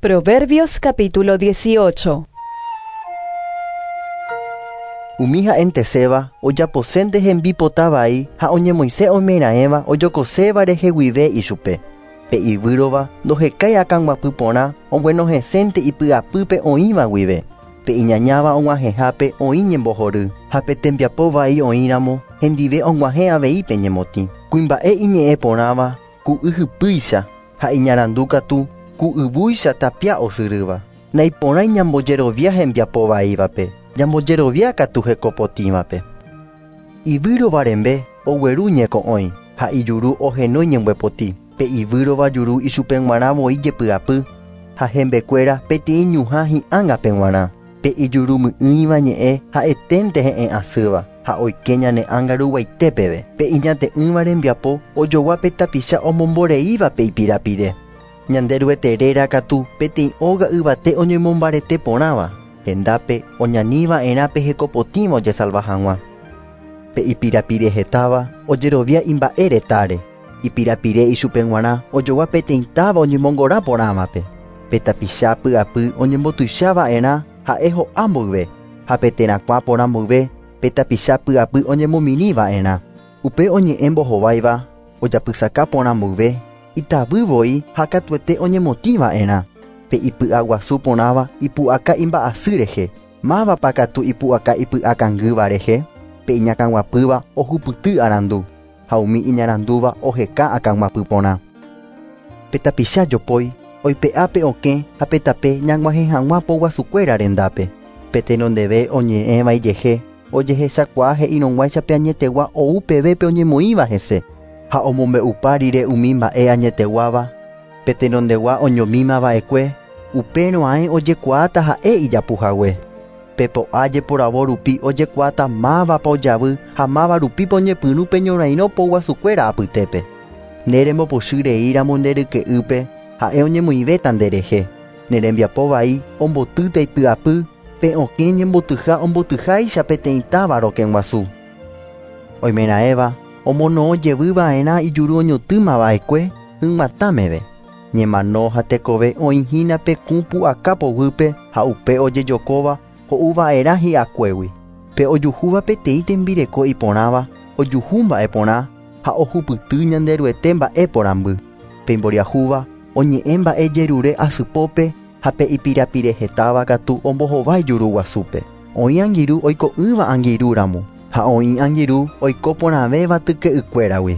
Proverbios capítulo 18. Umi ha'enteséva ojaposénte hembipota vai ha oñemoĩse oimeraẽva ojokoséva rehe guive ichupe. Pe ivýrova ndohekái akãguapy porã oguenohẽsénte ipy'apýpe oĩva guive. Pe iñañáva og̃uahẽhápe oĩ ñembohory ha pe tembiapo vai oĩramo hendive og̃uahẽ avei pe ñemotĩ. Kuimba'e iñe'ẽ porãva ku yhypýicha ha iñarandu katu ku yvúicha tapia osyrýva. Naiporãi ñambojerovia hembiapo vaívape, ñambojerovia katu hekopotĩvape. Ivýrova rembe ogueru ñeko'õi ha ijuru ohenói ñembyepoti. Pe ivýrova juru ichupe g̃uarã voi jepy'apy ha hembekuéra peteĩ ñuhã hi'ág̃ape g̃uarã. Pe ijurumy'ỹiva ñe'ẽ ha'eténte he'ẽ asýva ha oike ñane ánga ruguaite peve. Pe iñate'ỹva rembiapo ojogua pe tapicha omomboreíva pe ipirapire. Ñanderuete réra katu peteĩ óga yvate oñemombarete porãva, hendápe oñaniva'erã pe hekopotĩva ojesalva hag̃ua. Pe ipirapire hetáva ojerovia imba'e retáre. Ipirapire ichupe g̃uarã ojogua peteĩ táva oñemongora porãvape. Pe tapicha py'apy oñembotuichava'erã ha'e ho'a mboyve, ha pe terakuã porã mboyve pe tapicha py'apy oñemomirĩva'erã. Upe oñe'ẽ mbohováiva ojapysaka porã mboyve, itavy voi ha katuete oñemotĩva'erã. Pe ipy'aguasu porãva ipu'aka imba'asy rehe, mávapa katu ipu'aka ipy'akangýva rehe, pe iñakãguapýva ohupyty arandu, ha umi iñarandúva oheka akãguapy porã. Pe tapicha jopói oipe'a pe okẽ ha pe tape ñag̃uahẽ hag̃ua poguasukuéra rendápe. Pe tenondeve oñe'ẽva ijehe ojehechakuaa he'irõguáicha pe añetegua ou peve pe oñemoĩva hese ha omombe'upa rire umi mba'e añeteguáva pe tenondegua oñomímava'ekue upérõ ae ojekuaáta ha'e ijapuhague. Pe po'a jeporavo rupi ojekuaáta mávapa ojavy ha máva rupípa oñepyrũ pe ñorairõ poguasukuéra apytépe. Ne rembopochy reíramo nde ryke'ýpe ha'e oñemoĩvéta nderehe. Ne rembiapo vai ombotýta ipy'apy pe okẽ ñembotyha ombotyháicha peteĩ táva rokẽguasu. Oimeraẽva omono'õ jevyva'erã ijuru oñotỹmava'ekue hyg̃uatã meve. Ñemano ha tekove oĩhína pe kũ pu'aka poguýpe ha upe ojejokóva ho'uva'erã hi'akuégui. Pe ojuhúva peteĩ tembireko iporãva ojuhu mba'e porã ha ohupyty Ñanderuete mba'e porãmby. Pe imboriahúva oñe'ẽ mba'e jerure asypópe ha pe ipirapire hetáva katu ombohovái juru guasúpe. Oĩ angirũ oiko'ỹva angirũramo ha oĩ angirũ oiko porãvéva tyke'ykuéragui.